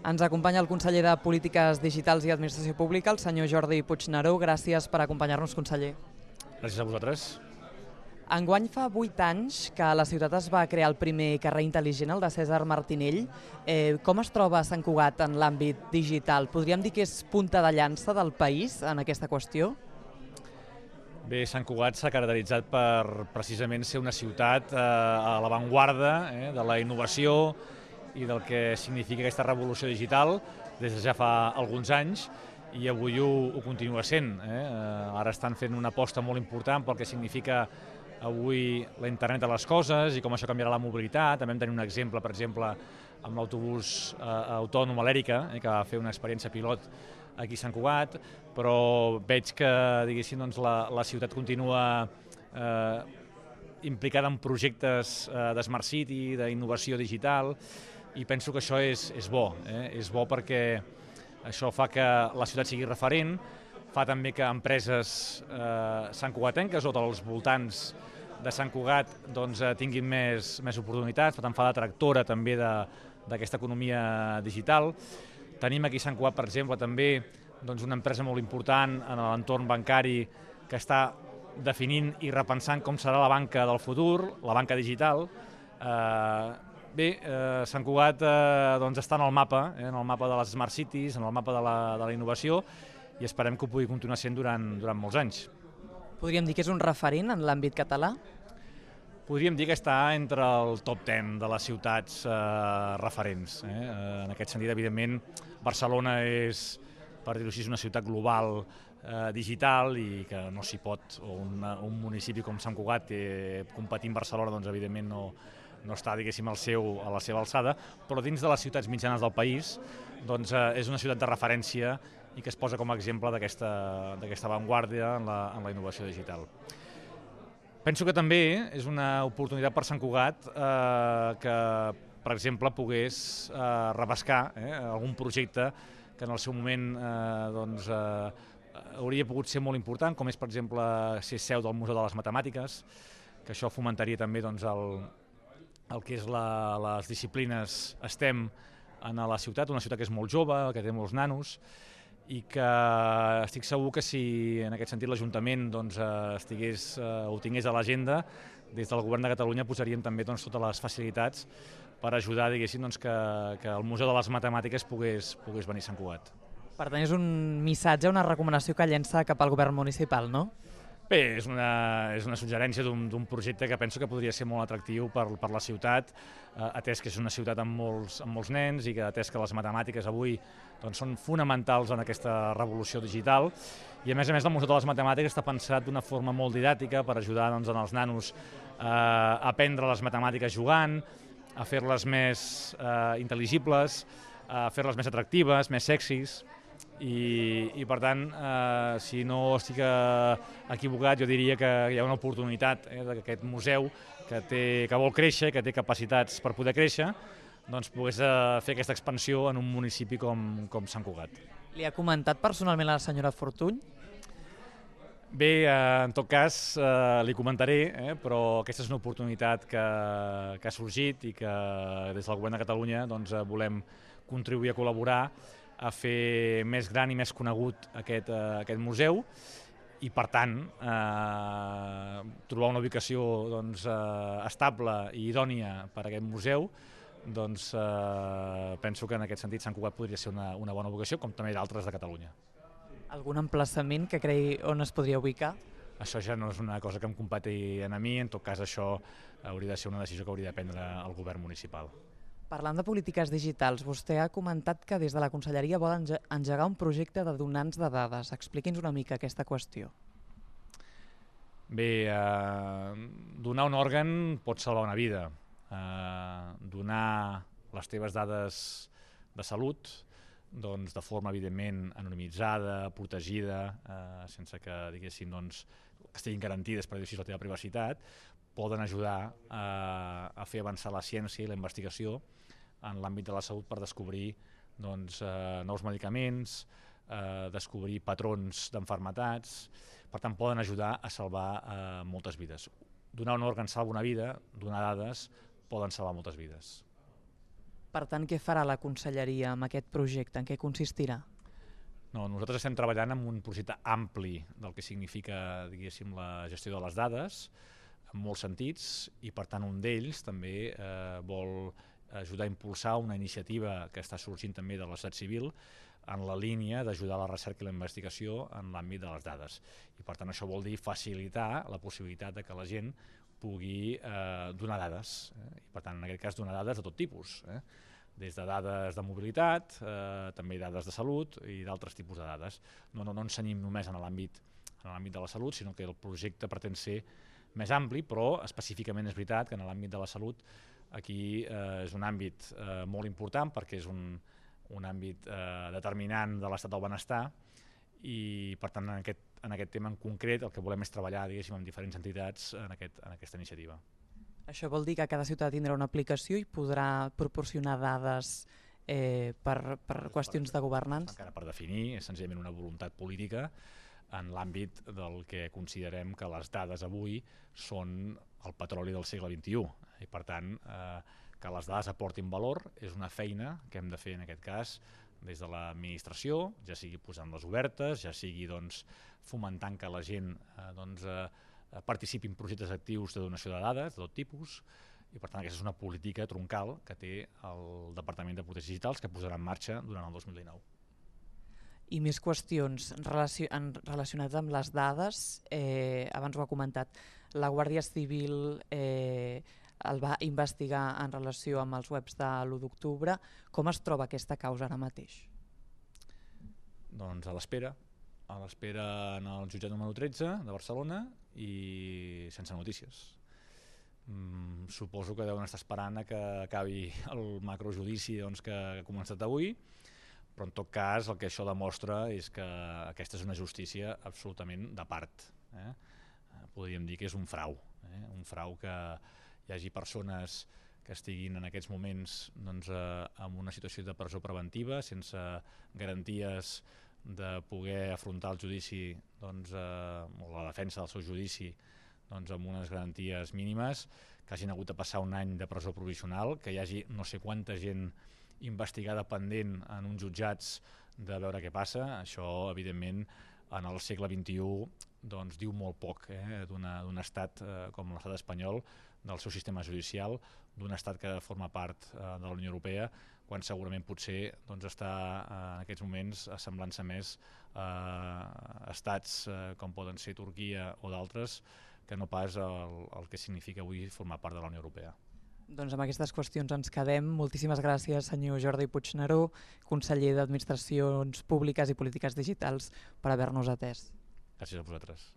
Ens acompanya el conseller de Polítiques Digitals i Administració Pública, el senyor Jordi Puigneró. Gràcies per acompanyar-nos, conseller. Gràcies a vosaltres. Enguany fa 8 anys que a la ciutat es va crear el primer carrer intel·ligent, el de Cèsar Martinell. Com es troba Sant Cugat en l'àmbit digital? Podríem dir que és punta de llança del país en aquesta qüestió? Bé, Sant Cugat s'ha caracteritzat per precisament ser una ciutat a l'avantguarda de la innovació i del que significa aquesta revolució digital des de ja fa alguns anys, i avui ho continua sent. Ara estan fent una aposta molt important pel que significa avui la internet de les coses i com això canviarà la mobilitat. També vam tenir un exemple, per exemple, amb l'autobús autònom a l'Èrica, que va fer una experiència pilot aquí a Sant Cugat, però veig que la ciutat continua implicada en projectes de Smart City, d'innovació digital, i penso que això és bo. És bo perquè això fa que la ciutat sigui referent, fa també que empreses santcugatenques o dels voltants de Sant Cugat tinguin més oportunitats, per tant fa d'atractora també d'aquesta economia digital. Tenim aquí a Sant Cugat, per exemple, també una empresa molt important en l'entorn bancari que està definint i repensant com serà la banca del futur, la banca digital. Sant Cugat està en el mapa de les Smart Cities, en el mapa de la innovació, i esperem que ho pugui continuar sent durant molts anys. Podríem dir que és un referent en l'àmbit català? Podríem dir que està entre el top 10 de les ciutats referents. En aquest sentit, evidentment, Barcelona és, per dir-ho així, una ciutat global digital i que no s'hi pot, o un municipi com Sant Cugat competir amb Barcelona, evidentment no està, diguéssim, a la seva alçada, però dins de les ciutats mitjanes del país és una ciutat de referència i que es posa com a exemple d'aquesta avantguarda en la innovació digital. Penso que també és una oportunitat per Sant Cugat que, per exemple, pogués repescar algun projecte que en el seu moment hauria pogut ser molt important, com és, per exemple, ser seu del Museu de les Matemàtiques, que això fomentaria també el que és les disciplines STEM en la ciutat, una ciutat que és molt jove, que té molts nanos, i que estic segur que si en aquest sentit l'Ajuntament ho tingués a l'agenda, des del Govern de Catalunya posaríem també totes les facilitats per ajudar, diguéssim, que el Museu de les Matemàtiques pogués venir a Sant Cugat. Per tant, és un missatge, una recomanació que llença cap al govern municipal, no? Bé, és una suggerència d'un projecte que penso que podria ser molt atractiu per la ciutat, atès que és una ciutat amb molts nens i que atès que les matemàtiques avui són fonamentals en aquesta revolució digital, i a més el Museu de les Matemàtiques està pensat d'una forma molt didàctica per ajudar els nanos a aprendre les matemàtiques jugant, a fer-les més intel·ligibles, a fer-les més atractives, més sexis. I per tant, si no estic equivocat, jo diria que hi ha una oportunitat d'aquest museu que vol créixer, que té capacitats per poder créixer, pogués fer aquesta expansió en un municipi com Sant Cugat. Li ha comentat personalment a la senyora Fortuny? Bé, en tot cas li comentaré, però aquesta és una oportunitat que ha sorgit i que des del Govern de Catalunya volem contribuir a col·laborar a fer més gran i més conegut aquest museu, i per tant trobar una ubicació estable i idònia per a aquest museu. Penso que en aquest sentit Sant Cugat podria ser una bona ubicació, com també d'altres de Catalunya. Algun emplaçament que cregui on es podria ubicar? Això ja no és una cosa que em competeixi a mi, en tot cas això hauria de ser una decisió que hauria de prendre el govern municipal. Parlant de polítiques digitals, vostè ha comentat que des de la Conselleria vol engegar un projecte de donants de dades. Expliqui'ns una mica aquesta qüestió. Bé, donar un òrgan pot salvar una vida. Donar les teves dades de salut de forma evidentment anonimitzada, protegida, sense que estiguin garantides, per dir-ho així, la teva privacitat, poden ajudar a fer avançar la ciència i la investigació en l'àmbit de la salut per descobrir nous medicaments, descobrir patrons d'enfermetats. Per tant, poden ajudar a salvar moltes vides. Donar un òrgan salva una vida, donar dades poden salvar moltes vides. Per tant, què farà la conselleria amb aquest projecte? En què consistirà? No, nosaltres estem treballant en un projecte ampli del que significa, diguéssim, la gestió de les dades, en molts sentits, i per tant un d'ells també vol ajudar a impulsar una iniciativa que està sorgint també de la societat civil en la línia d'ajudar la recerca i la investigació en l'àmbit de les dades. I per tant això vol dir facilitar la possibilitat de que la gent pugui donar dades, i per tant en aquest cas donar dades de tot tipus, des de dades de mobilitat, també dades de salut i d'altres tipus de dades. No ens cenyim només en l'àmbit de la salut, sinó que el projecte pretén ser més ampli, però específicament és veritat que en l'àmbit de la salut aquí és un àmbit molt important perquè és un àmbit determinant de l'estat del benestar i per tant en aquest tema en concret el que volem és treballar, diguéssim, amb diferents entitats en aquesta iniciativa. Això vol dir que cada ciutat tindrà una aplicació i podrà proporcionar dades per qüestions de governança? Encara per definir, és senzillament una voluntat política en l'àmbit del que considerem que les dades avui són el petroli del segle XXI. I per tant, que les dades aportin valor és una feina que hem de fer en aquest cas des de l'administració, ja sigui posant-les obertes, ja sigui fomentant que la gent participi en projectes actius de donació de dades de tot tipus, i per tant aquesta és una política troncal que té el Departament de Polítiques Digitals que posarà en marxa durant el 2019. I més qüestions relacionades amb les dades, abans ho ha comentat, la Guàrdia Civil el va investigar en relació amb els webs de l'1 d'octubre. Com es troba aquesta causa ara mateix? Doncs a l'espera en el jutjat número 13 de Barcelona i sense notícies. Suposo que deuen estar esperant que acabi el macrojudici que ha començat avui, però en tot cas el que això demostra és que aquesta és una justícia absolutament de part. Podríem dir que és un frau que hi hagi persones que estiguin en aquests moments en una situació de presó preventiva sense garanties de poder afrontar el judici o la defensa del seu judici amb unes garanties mínimes, que hagin hagut de passar un any de presó provisional, que hi hagi no sé quanta gent investigada pendent en uns jutjats de veure què passa. Això, evidentment, en el segle XXI diu molt poc d'un estat com l'estat espanyol, del seu sistema judicial, d'un estat que forma part de la Unió Europea, quan segurament potser està en aquests moments assemblant-se més a estats com poden ser Turquia o d'altres, que no pas el que significa avui formar part de la Unió Europea. Doncs amb aquestes qüestions ens quedem. Moltíssimes gràcies, senyor Jordi Puigneró, conseller d'Administracions Públiques i Polítiques Digitals, per haver-nos atès. Gràcies a vosaltres.